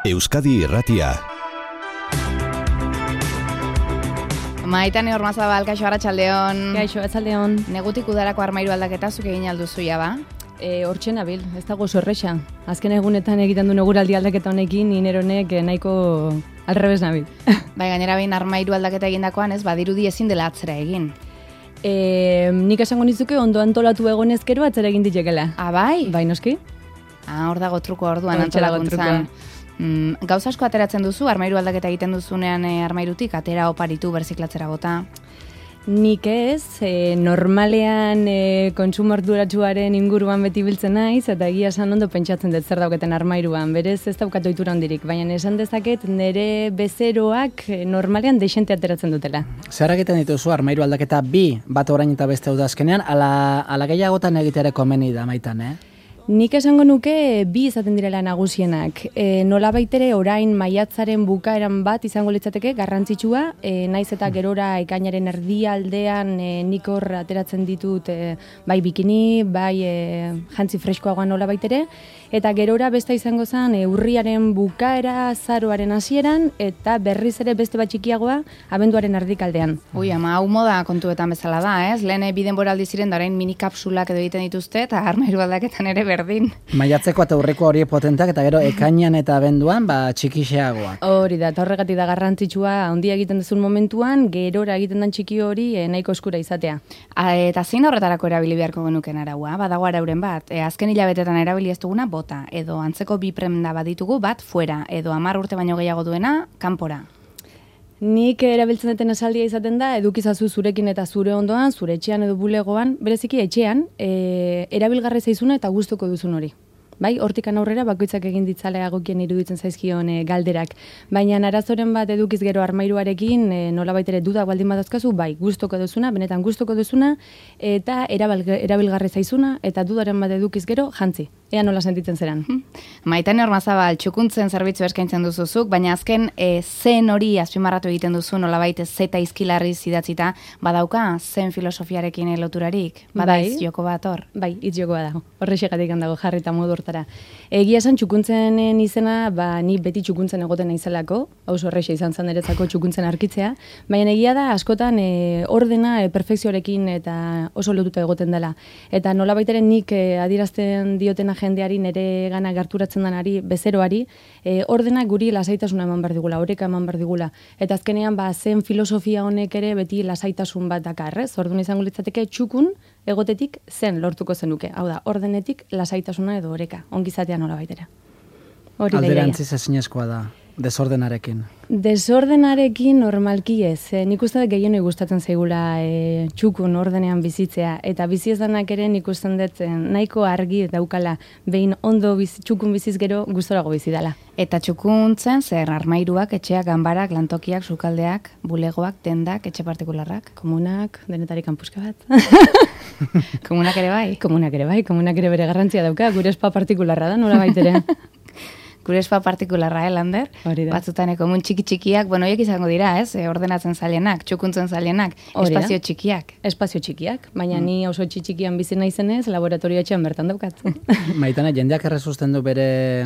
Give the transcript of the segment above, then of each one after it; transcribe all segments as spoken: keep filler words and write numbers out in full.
Euskadi Irratia. Maitane Ormazabal, kaixo arratsaldeon. Kaixo arratsaldeon. Negutik udarako armairu aldaketa zuk egin alduzu ja ba? E, hortxe nabil, ez dago zorresa. Azken egunetan egiten du neguraldi aldaketa honekin, nineronek nahiko alrebes nabil. Bai, gainera behin armairu aldaketa egindakoan ez, badirudi ezin dela atzera egin. E, nik esango nizuke ondo antolatu egonez gero atzera egin ditekela. Ah, bai? Bai, noski? Ah, hor dago truko orduan antolakuntzan. Mm, gauz asko ateratzen duzu, armairu aldaketa egiten duzunean e, armairutik, atera oparitu, berziklatzera bota? Nik ez, e, normalean e, kontsumo arduratsuaren inguruan beti biltzen naiz, eta egia esan ondo pentsatzen dut zer dauketen armairuan, berez ez daukat ohitura handirik, baina esan dezaket nire bezeroak e, normalean dexente ateratzen dutela. Zer egiten dituzu armairu aldaketa bi, bat orain eta beste udazkenean, ala, ala gehiagotan egitere komeni da maitan, eh? Nik esango nuke bi izaten direla nagusienak. E, nola baitere orain maiatzaren bukaeran bat izango litzateke garrantzitsua, e, naiz eta gerora ekainaren erdialdean e, nik hor ateratzen ditut e, bai bikini, bai e, jantzi freskoagoan nola baitere, eta gerora beste izango zen e, urriaren bukaera, azaroaren hasieran eta berriz ere beste bat txikiagoa abenduaren erdikaldean. Ui, ama, hau moda kontuetan bezala da, ez? Lehen biden boraldi ziren da orain mini kapsulak edo egiten dituzte, eta armairu aldaketan ere berdin. Maiatzeko eta urreko hori potentak, eta gero ekainan eta abenduan, ba, txikixeagoak. Hori da, eta horregatik da garrantzitsua handia egiten duzun momentuan, gerora egiten den txiki hori e, nahiko eskura izatea. A, eta zein horretarako erabili beharko genuken araua? Badago arauren bat, e, azken hilabetetan erabili ez duguna bota, edo antzeko bi prenda baditugu bat fuera, edo hamar urte baino gehiago duena kanpora. Nik erabiltzen duten esaldia izaten da, edukizazu zurekin eta zure ondoan, zure etxean edo bulegoan, bereziki etxean, e, erabilgarri zaizuna eta gustuko duzun hori. Bai, hortikan aurrera bakoitzak egin ditzalea egokien iruditzen zaizkion e, galderak. Baina arazoren bat edukiz gero armairuarekin, e, nolabait ere duda baldin badazkazu, bai, gustuko duzuna, benetan gustuko duzuna, eta erabilgarri zaizuna, eta dudaren bat edukiz gero, jantzi. Ea nola sentitzen zeran. Maitane Ormazabal, txukuntzen zerbitzu eskaintzen duzuzuk, baina azken e, zen hori azpimarratu egiten duzu, nolabait zeta izkilarri zidatzita, badauka zen filosofiarekin loturarik, badaiz bai, joko bat hor? Bai, hitz joko bat dago, horrexegatik handago jarrita modu hortara. Egia esan txukuntzenen izena, ba, ni beti txukuntzen egoten naizelako, oso horrexe izan zen eretzako txukuntzen arkitzea, baina egia da askotan e, ordena e, perfekzioarekin eta oso lotuta egoten dela. Eta nolabait ere nik e, adierazten diotena jendeari nere gana gerturatzen denari, bezeroari, e, ordenak guri lasaitasuna eman behar digula, oreka eman behar digula. Eta azkenean, ba, zen filosofia honek ere beti lasaitasun bat dakarrez. Orduan izango litzateke txukun egotetik zen lortuko zenuke. Hau da, ordenetik lasaitasuna edo oreka, ongizatea nola baitera. Alderantziz ezinezkoa da, desordenarekin. Desordenarekin normalki ez. E, nik uste dut gehienoi gustatzen zaigula e, txukun ordenean bizitzea. Eta bizi ezanak ere nik uste dut nahiko argi daukala behin ondo biz, txukun biziz gero gustorago bizi dela. Eta txukuntzen zer armairuak, etxeak, ganbarak, lantokiak, sukaldeak, bulegoak, tendak, etxe partikularrak? Komunak, denetarik kanpuska bat. Komunak ere bai? Komunak ere bai, komunak ere bere garrantzia dauka, gure espa partikularra da, nola baitere. Gure espa partikularra, eh, Lander? Batzutan komun txiki-txikiak, bueno, horiek izango dira, ez? E, ordenatzen zailenak, txukuntzen zailenak, espazio txikiak. Espazio txikiak, baina mm. ni oso txikian bizi naizenez, laboratorio etxean bertan daukat. Maitane, jendeak errezusten du bere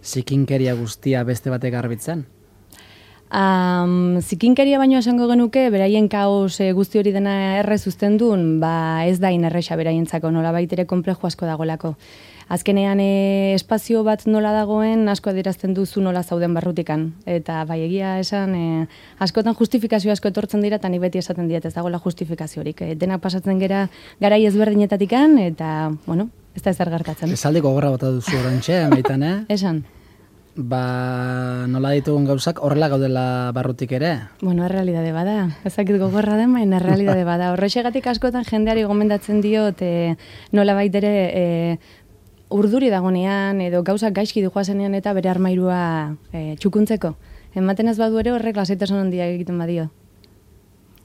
zikinkeria guztia beste batek garbitzen? Um, zikinkeria baino esango genuke, beraien kaos e, guzti hori dena errez uztendun, ba ez da inerresa beraientzako, nola baitere konplejo asko dagolako. Azkenean e, espazio bat nola dagoen asko adierazten duzu nola zauden barrutikan. Eta bai egia esan, e, askotan justifikazio asko etortzen dira, eta ni beti esaten diet ez dagoela justifikaziorik. E, denak pasatzen gera garai ezberdinetatikan, eta, bueno, ez da ezer gertatzen. Esaldi gogorra bota duzu orantxe, Maitane? Esan. Ba, nola ditugun gauzak horrela gaudela barrutik ere? Bueno, errealidade bada. Ezakit gogorra den, baina errealidade bada. Horrexegatik askotan jendeari gomendatzen diot, e, nola baitere e, urduri dagonean, edo gauzak gaizki dijoazenean eta bere armairua e, txukuntzeko. Ematen ez badu ere horrek lasaitasun handia egiten badio.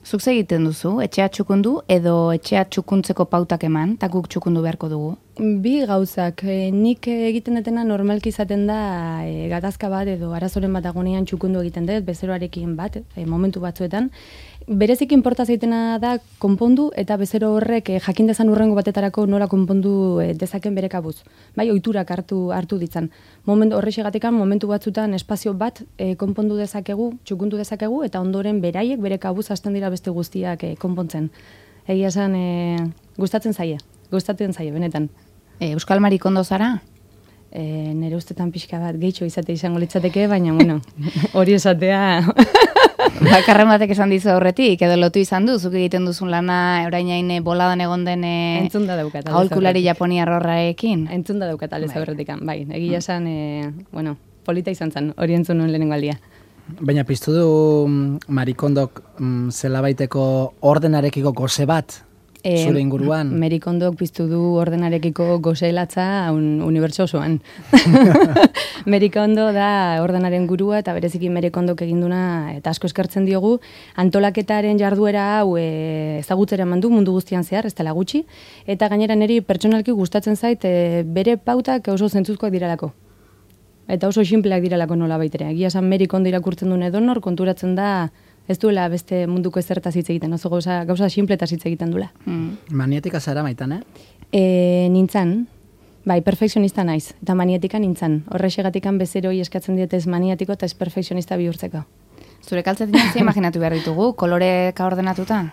Zuk egiten duzu, etxea txukundu edo etxea txukuntzeko pautak eman, eta guk txukundu beharko dugu. Bi gauzak, e, nik egiten detena normalki izaten da e, gatazka bat edo arazoren bat agonean txukundu egiten dut, bezeroarekin bat, e, momentu batzuetan. Berezik inporta zaitena da konpondu eta bezero horrek e, jakin dezan urrengo batetarako nola konpondu e, dezaken bere kabuz. Bai, ohiturak hartu hartu ditzan. Momentu horrexegatekan momentu batzutan espazio bat e, konpondu dezakegu, txukundu dezakegu eta ondoren beraiek bere kabuz hasten dira beste guztiak e, konpontzen. Egia esan e, gustatzen zaie, gustatzen zaie benetan. E, Euskal Marikondo zara? E, nere ustetan pixka bat gehitxo izate izango litzateke, baina bueno, hori esatea... Bakarren batek esan dizu aurretik, edo lotu izan du, zuk egiten duzun lana orainain boladan egon den entzun da daukat aholkulari japoniar horrekin. Entzun da daukat aldez aurretikan, bai. Egia esan, e, bueno, polita izan zen, hori entzun nuen lehenengo aldia. Baina piztu du Marikondok mm, zelabaiteko ordenarekiko goze bat? E, zure inguruan? Marikondok piztu du ordenarekiko gozelatza un unibertso osoan. Marikondo da ordenaren gurua eta bereziki Marikondok eginduna eta asko eskertzen diogu antolaketaren jarduera hau e, ezagutzera eman du mundu guztian zehar, ez dela gutxi, eta gainera niri pertsonalki gustatzen zait e, bere pautak oso zentzuzkoak direlako. Eta oso sinpleak direlako nola baitere. Egia esan Marikondo irakurtzen duen edonor konturatzen da ez duela beste munduko ezertaz hitz egiten, oso gauza, gauza sinpletaz hitz egiten duela. Mm. Maniatika zara Maitane? E, nintzan, bai, perfekzionista naiz, eta maniatika nintzan. Horrexegatikan bezeroi eskatzen dietez maniatiko eta ez perfekzionista bihurtzeko. Zure kaltzetan ze imaginatu behar ditugu, koloreka ordenatuta?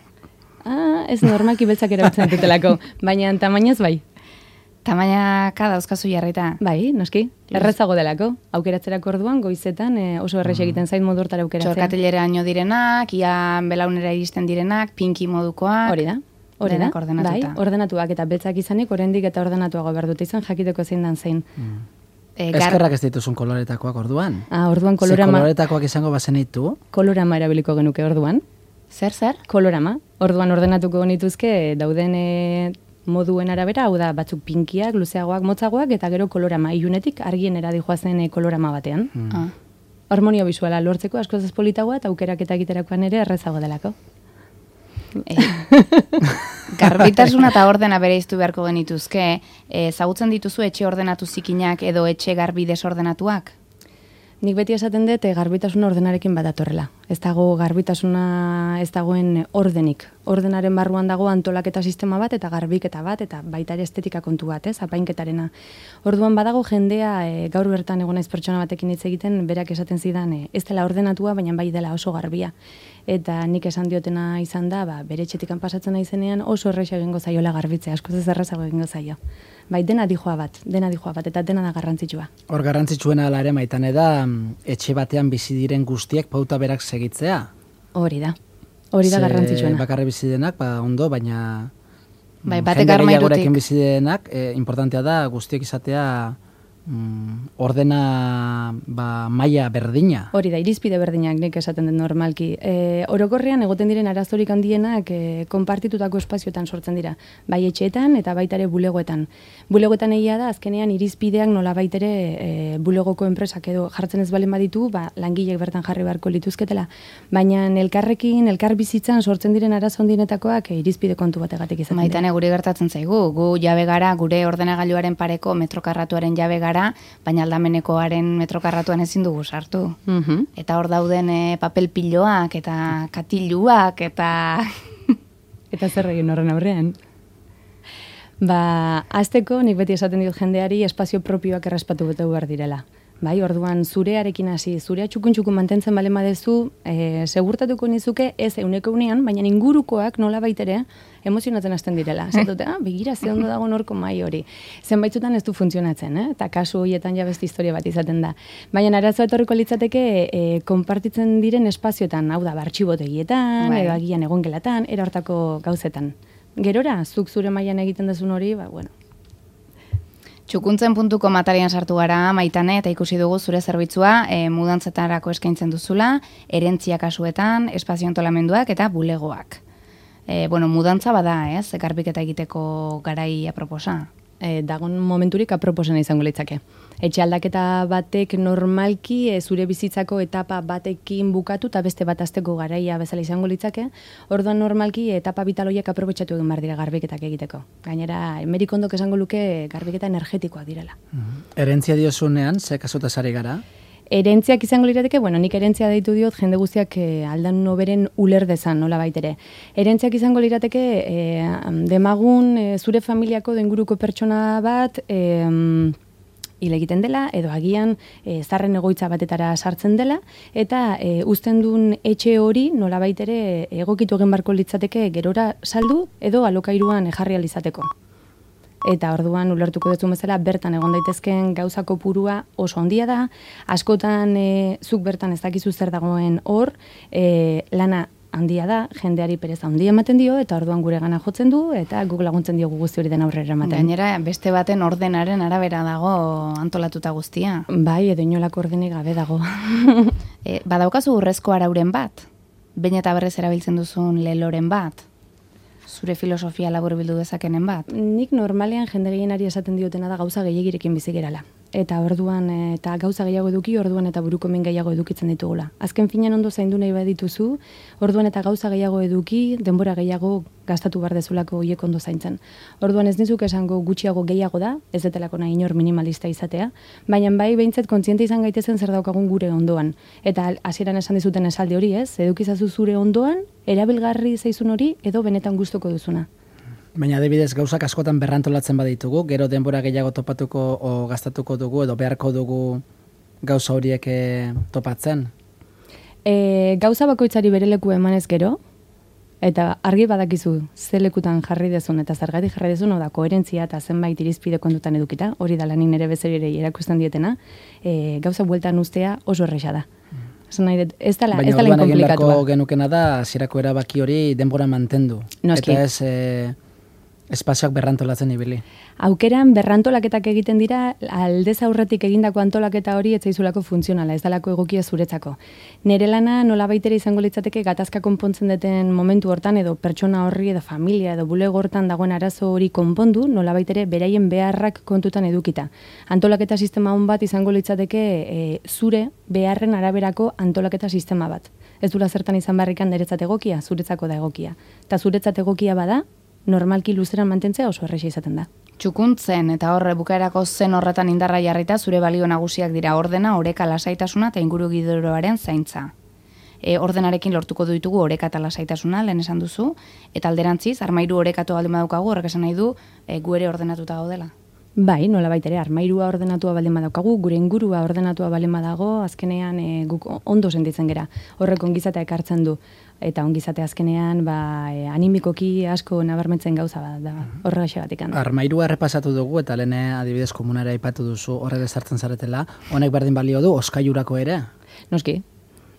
Ah, ez normalki beltzak erabiltzen dutelako, baina tamainaz bai. Tamainaka dauzkazu jarrita. Bai, noski. Errezago delako. Aukeratzerako orduan, goizetan e, oso errex egiten zait modu hortara aukeratzea. Txorkatileraino direnak, ia belaunera iristen direnak, pinki modukoak. Hori da. Hori da. Ordenatuta. Bai, ordenatuak eta beltzak izanik, oraindik eta ordenatuago behar dute izan, jakiteko zein dan zein. Mm. E, gar... Eskerrak ez dituzun koloretakoak orduan? Ah, orduan kolorama... Ze koloretakoak izango bazenitu? Kolorama erabiliko genuke orduan. Zer, zer? Kolorama. Orduan ordenatuko genituzke dauden... E... moduen arabera, hau da, batzuk pinkiak, luzeagoak, motzagoak, eta gero kolorama, ilunetik argienera dijoazen kolorama batean. Mm. Ah. Harmonia bisuala lortzeko askoz ez politagoa, eta aukerak eta egiterakoan ere errezago delako. E, garbitasuna eta ordena bereiztu beharko genituzke, ezagutzen dituzu etxe ordenatu zikinak edo etxe garbi desordenatuak? Nik beti esaten dut garbitasuna ordenarekin bat datorrela. Ez dago garbitasuna ez dagoen ordenik. Ordenaren barruan dago antolaketa sistema bat eta garbiketa bat eta baita ere estetika kontu bat, ez, apainketarena. Orduan badago jendea e, gaur bertan egon naiz pertsona batekin hitz egiten, berak esaten zidan e, ez dela ordenatua, baina bai dela oso garbia. Eta nik esan diotena izan da, ba, bere etxetikan pasatzen naizenean oso erraza egingo zaiola garbitzea, askoz ez errazago egingo zaio. Bai, dena dijoa bat, dena dijoa bat, eta dena da garrantzitsua. Hor garrantzitsuena ala ere Maitane da, etxe batean bizi diren guztiek pauta berak segitzea. Hori da, hori da garrantzitsuena. Bakarre bizi denak, ba, ondo, baina bai, batek armairutik. Jende bizi denak, e, importantea da guztiek izatea mm, ordena ba, maila berdina. Hori da, irizpide berdinak nik esaten den normalki. E, orokorrean egoten diren arazorik handienak e, konpartitutako espazioetan sortzen dira. Bai etxeetan eta baita ere bulegoetan. Bulegoetan egia da, azkenean irizpideak nola baitere e, bulegoko enpresak edo jartzen ez balen baditu, ba, langileek bertan jarri beharko lituzketela. Baina elkarrekin, elkar bizitzan sortzen diren arazo handienetakoak e, irizpide kontu bategatik izaten dira. Maitane, guri gertatzen zaigu, gu jabe gara, gure ordenagailuaren pareko metrokarratuaren jabe gara, baina aldamenekoaren metrokarratuan ezin dugu sartu. Mm-hmm. Eta hor dauden e, papel piloak eta katiluak eta... eta zer egin horren aurrean? Ba, azteko nik beti esaten diot jendeari espazio propioak errespatu betu behar direla. Bai, orduan zurearekin hasi, zurea txukun-txukun mantentzen bale badezu, e, segurtatuko nizuke ez euneko unean, baina ingurukoak nola baitere emozionatzen hasten direla. Zatute, ah, begira, ze ondo dago norko mai hori. Zenbaitzutan ez du funtzionatzen, eh? Eta kasu horietan ja beste historia bat izaten da. Baina arazoa etorriko litzateke e, konpartitzen diren espazioetan, hau da, bartxibotegietan, bai, edo agian egongelatan, era hortako gauzetan. Gerora, zuk zure mailan egiten duzun hori, ba, bueno. Txukuntzen puntuko matarian sartu gara, Maitane, eta ikusi dugu zure zerbitzua e, mudantzetarako eskaintzen duzula, erentzia kasuetan, espazio antolamenduak eta bulegoak. E, bueno, mudantza bada, ez? Garbiketa egiteko garai aproposa. e, dagon momenturik aproposena izango litzake. Etxe aldaketa batek normalki e, zure bizitzako etapa batekin bukatu eta beste bat azteko garaia bezala izango litzake, orduan normalki etapa vitaloiek aprobetxatu egin behar dira garbiketak egiteko. Gainera, Merikondok esango luke garbiketa energetikoak direla. Mm-hmm. Erentzia diozunean, ze kasutaz ari gara? Erentziak izango lirateke, bueno, nik erentzia deitu diot jende guztiak eh, aldan noberen uler dezan, nola baitere. Erentziak izango lirateke, eh, demagun eh, zure familiako denguruko pertsona bat, eh, hil egiten dela, edo agian e, zarren egoitza batetara sartzen dela, eta e, uzten duen etxe hori nola baitere egokitu egin barko litzateke gerora saldu, edo alokairuan jarri alizateko. Eta orduan ulertuko dut bezala bertan egon daitezkeen gauzako purua oso handia da, askotan e, zuk bertan ez dakizu zer dagoen hor, e, lana handia da, jendeari pereza handia ematen dio, eta orduan gure gana jotzen du, eta guk laguntzen diogu guzti hori den aurrera ematen. Gainera, beste baten ordenaren arabera dago antolatuta guztia. Bai, edo inolako ordenik gabe dago. e, badaukazu urrezko arauren bat, behin eta berrez erabiltzen duzun leloren bat, zure filosofia labur bildu dezakenen bat? Nik normalean jende gehienari esaten diotena da gauza gehiagirekin bizi gerala. Eta orduan, eta gauza gehiago eduki, orduan eta buruko min gehiago edukitzen ditugula. Azken finean ondo zaindu nahi badituzu, orduan eta gauza gehiago eduki, denbora gehiago gastatu behar dezulako hoiek ondo zaintzen. Orduan ez nizuk esango gutxiago gehiago da, ez detelako nahi inor minimalista izatea, baina bai behintzat kontziente izan gaitezen zer daukagun gure ondoan. Eta hasieran esan dizuten esaldi hori ez, edukizazu zure ondoan, erabilgarri zaizun hori, edo benetan gustuko duzuna. Baina adibidez gauzak askotan berrantolatzen baditugu, gero denbora gehiago topatuko o gastatuko dugu edo beharko dugu gauza horiek topatzen? E, gauza bakoitzari bere leku emanez gero, eta argi badakizu ze lekutan jarri dezun eta zergatik jarri dezun, oda koherentzia eta zenbait irizpide kontutan edukita, hori da lanin ere bezerire erakusten dietena, e, gauza bueltan ustea oso erresa da. Ez nahi dut, ez dala inkomplikatua. Baina orduan egin beharko genukena da, zirako erabaki hori denbora mantendu. Noski. Eta ez... E, espazioak berrantolatzen ibili. Aukeran berrantolaketak egiten dira, aldez aurretik egindako antolaketa hori ez zaizulako funtzionala, ez dalako egokia zuretzako. Nere lana nola baitere izango litzateke gatazka konpontzen duten momentu hortan, edo pertsona horri, edo familia, edo bulego hortan dagoen arazo hori konpondu, nola baitere beraien beharrak kontutan edukita. Antolaketa sistema hon bat izango litzateke e, zure beharren araberako antolaketa sistema bat. Ez dula zertan izan barrikan niretzat egokia, zuretzako da egokia. Eta zuretzat egokia bada, normalki luzeran mantentzea oso erresa izaten da. Txukuntzen eta horre bukaerako zen horretan indarra jarrita zure balio nagusiak dira ordena, oreka, lasaitasuna eta inguru giroaren zaintza. E, ordenarekin lortuko ditugu oreka eta lasaitasuna, lehen esan duzu, eta alderantziz, armairu orekatu baldin badaukagu, horrek esan nahi du, e, gu ere ordenatuta gaudela. Bai, nola baitere, armairua ordenatua baldin badaukagu, gure ingurua ordenatua baldin badago, azkenean e, guk ondo sentitzen gera. Horrek ongizatea ekartzen du. Eta ongizate azkenean ba, e, animikoki asko nabarmentzen gauza bat da, horregaxegatik. Armairua errepasatu dugu eta lehen adibidez komunara aipatu duzu horre sartzen zaretela, honek berdin balio du oskailurako ere? Noski,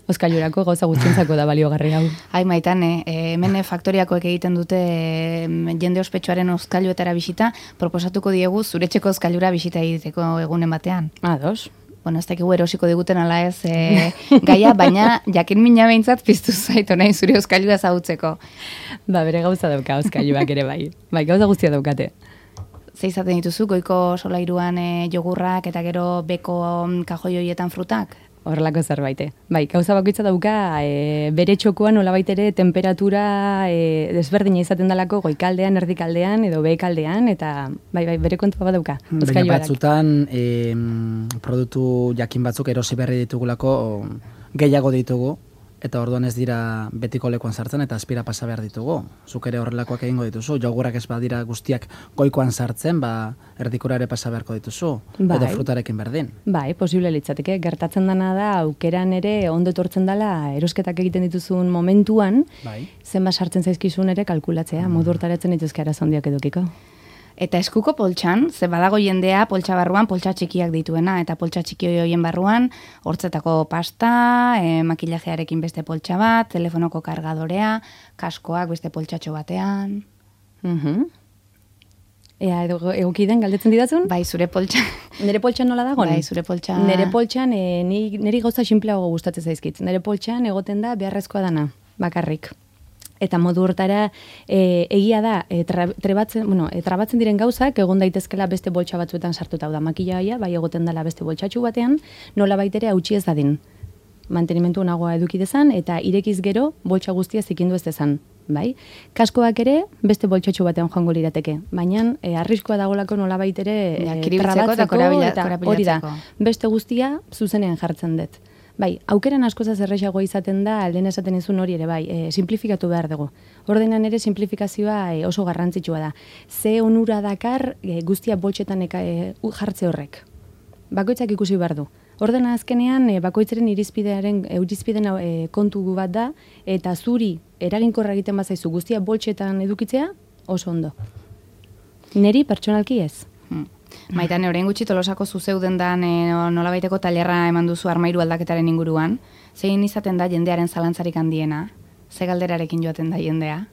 oskailurako gauza gutxintzako da baliogarri hau. Ai maitane, e, hemen faktoriakoek egiten dute e, jende ospetsuaren oskailuetara bisita, proposatuko diegu zuretxeko oskailura bisita egiteko egunen batean. Ados. Bueno, ez dakigu erosiko diguten ala ez e, gaia, baina jakin mina behintzat piztu zaitu nahi zure oskailua ezagutzeko. Ba, bere gauza dauka oskailuak ere bai. Bai, gauza guztia daukate. Ze izaten dituzu, goiko solairuan e, jogurrak eta gero beko kajoi horietan frutak? Horrelako zerbaite. Bai, gauza bakoitza dauka e, bere txokoan nolabait ere temperatura e, desberdina izaten dalako goikaldean, erdikaldean edo behekaldean, eta bai, bai, bere kontua bat dauka. Baina batzutan e, produktu jakin batzuk erosi berri ditugulako gehiago ditugu, eta orduan ez dira betiko lekuan sartzen eta azpira pasa behar ditugu. Zuk ere horrelakoak egingo dituzu, jogurrak ez badira guztiak goikoan sartzen, ba, erdikura ere pasa beharko dituzu, bai. Edo frutarekin berdin. Bai, posible litzateke, gertatzen dana da, aukeran ere ondo etortzen dela, erosketak egiten dituzun momentuan, bai. Zenba sartzen zaizkizun ere kalkulatzea, mm. modu hortaratzen dituzke arazondiak edukiko. Eta eskuko poltsan, ze badago jendea poltsa barruan poltsa txikiak dituena, eta poltsa txiki horien barruan, hortzetako pasta, e, makillajearekin beste poltsa bat, telefonoko kargadorea, kaskoak beste poltsatxo batean. Mhm. Ea, egoki den, galdetzen didatzun? Bai, zure poltsa. Nere poltsan nola dagoen? Bai, zure poltsa. Nere poltsan, e, niri gauza sinpleago gustatzen zaizkit. Nere poltsan egoten da beharrezkoa dana, bakarrik. Eta modu hortara e, egia da, e, tra, trebatzen, bueno, e, trabatzen diren gauzak egon daitezkela beste boltsa batzuetan sartuta. Hau da, makillaia, bai egoten dela beste boltsatxu batean, nola baitere hautsi ez dadin. Mantenimentu nagoa eduki dezan, eta irekiz gero boltsa guztia zikindu ez dezan. Bai? Kaskoak ere beste boltsatxu batean joango lirateke. Baina e, arriskoa dagolako nola baitere e, trabatzeko eta hori da. Beste guztia zuzenean jartzen dut. Bai, aukeran askozaz erresagoa izaten da, lehen esaten izun hori ere, bai, e, simplifikatu behar dugu. Ordenan ere simplifikazioa e, oso garrantzitsua da. Ze onura dakar e, guztia boltsetan eka, e, jartze horrek. Bakoitzak ikusi behar du. Ordena azkenean, e, bakoitzaren irizpidearen, e, irizpiden e, kontu bat da, eta zuri eraginkorra egiten bazaizu guztia boltsetan edukitzea, oso ondo. Neri pertsonalki ez. Hmm. Maitane, orain gutxi Tolosako zuzeuden dan e, nolabaiteko tailerra eman duzu armairu aldaketaren inguruan. Zein izaten da jendearen zalantzarik handiena? Ze galderarekin joaten da jendea?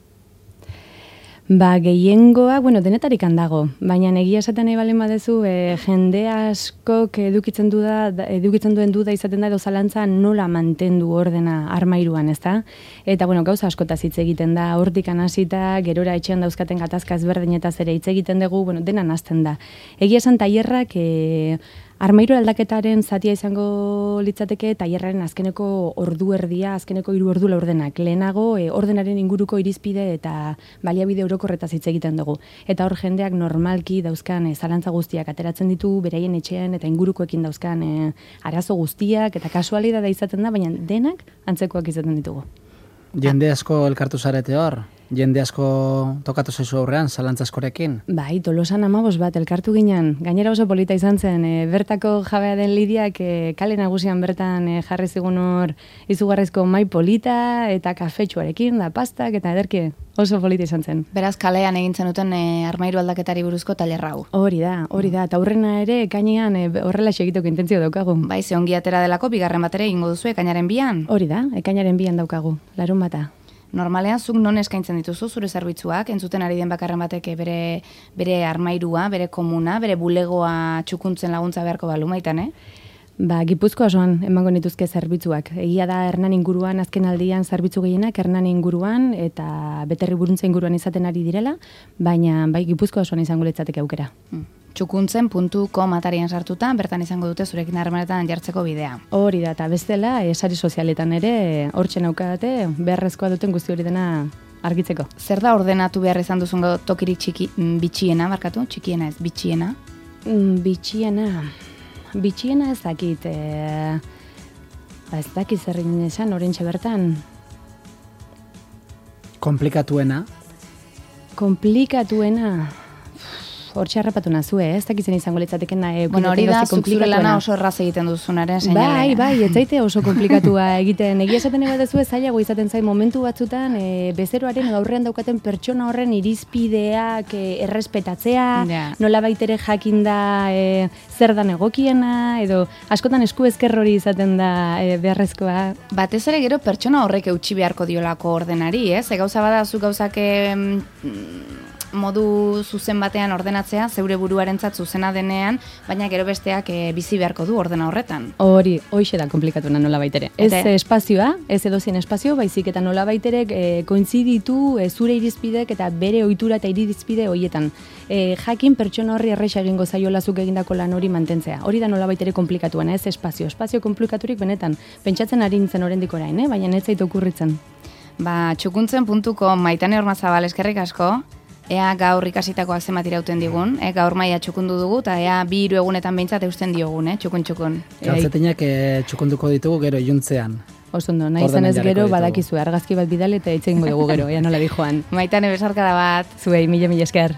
Ba, gehiengoa, bueno, denetarik handago, baina egia esaten nahi balen badezu, e, jende askok edukitzen, du da, edukitzen duen duda izaten da edo zalantza nola mantendu ordena armairuan, ezta? Eta, bueno, gauza askotaz hitz egiten da, hortik hasita, gerora etxean dauzkaten gatazka ezberdinetaz ere hitz egiten dugu, bueno, dena nazten da. Egia esan tailerrak, e, armairu aldaketaren zatia izango litzateke tailerraren azkeneko ordu erdia, azkeneko hiru ordu laurdenak. Lehenago e, ordenaren inguruko irizpide eta baliabide orokorretaz hitz egiten dugu. Eta hor jendeak normalki dauzkan e, zalantza guztiak ateratzen ditu, beraien etxean eta ingurukoekin dauzkan e, arazo guztiak eta kasualidadea izaten da, baina denak antzekoak izaten ditugu. Jende asko elkartu zarete hor? Jende asko tokatu zaizu aurrean, zalantza askorekin? Bai, Tolosan amabos bat elkartu ginen. Gainera oso polita izan zen, e, bertako jabea den Lidiak e, kale nagusian bertan e, jarri zigun hor izugarrizko mai polita eta kafetxuarekin, da pastak eta ederki oso polita izan zen. Beraz, kalean egintzen duten e, armairu aldaketari buruzko tailerra hau. Hori da, hori da, eta aurrena ere ekainean e, horrela segitoko intentzio daukagu. Bai, ze ongi atera delako, bigarren batera egingo duzu ekainaren bian? Hori da, ekainaren bian daukagu, larun bata. Normalean, zuk non eskaintzen dituzu zure zerbitzuak, entzuten ari den bakarren batek bere, bere armairua, bere komuna, bere bulegoa txukuntzen laguntza beharko balu maitan, eh? Ba, Gipuzkoa osoan emango nituzke zerbitzuak. Egia da Hernan inguruan azken aldian zerbitzu gehienak Hernan inguruan eta Beterri Buruntza inguruan izaten ari direla, baina bai Gipuzkoa osoan izango litzateke aukera. Hmm. txukuntzen puntu com atarian sartuta, bertan izango dute zurekin harremanetan jartzeko bidea. Hori da, eta bestela, esari sozialetan ere, hortxe naukadate, beharrezkoa duten guzti hori dena argitzeko. Zer da ordenatu behar izan duzun tokirik txiki, bitxiena, barkatu? Txikiena ez, bitxiena? Mm, bitxiena, bitxiena ez dakit, e, ba ez dakit zerrin esan, orentxe bertan. Komplikatuena? Komplikatuena... Hortxe harrapatu nazue, eh? Ez dakitzen izango litzateken nahi. Bueno, hori da, zuk zure lana oso erraz egiten duzunaren seinalea. Bai, bai, ez zaite oso komplikatua egiten. Egia esaten eba dezu ez zailago izaten zain momentu batzutan, e, bezeroaren gaurrean daukaten pertsona horren irizpideak e, errespetatzea, yeah. Nola baitere jakinda e, zer dan egokiena, edo askotan esku ezker hori izaten da e, beharrezkoa. Batez ere gero pertsona horrek eutxi beharko diolako ordenari, ez? E, gauza bada, zu gauzak e, modu zuzen batean ordenatzea, zeure buruarentzat zuzena denean, baina gero besteak e, bizi beharko du ordena horretan. Hori, hoixe da komplikatuna nola baitere. Ez Ete? espazioa, ez edozien espazio, baizik eta nola baitere e, kointziditu e, zure irizpidek eta bere ohitura eta irizpide hoietan. E, jakin pertsona horri erresa egingo zaiola zuk egindako lan hori mantentzea. Hori da nola baitere komplikatuena, ez espazio. Espazio komplikaturik benetan, pentsatzen ari nintzen oraindik orain, eh? Baina ez zait okurritzen. Ba, txukuntzen puntu com, Maitane Ormazabal, eskerrik asko. Ea gaur ikasitakoak zenbat irauten digun, eh? Gaur maila txukundu dugu, eta ea bi hiru egunetan behintzat eusten diogun, eh? txukun-txukun. Galtzetinak e, txukunduko ditugu gero iluntzean. Osondo, nahi zenez gero badakizu argazki bat bidale eta itxegingo dugu gero, ea nola di joan. Maitane, besarkada bat. Zuei, mila mila esker.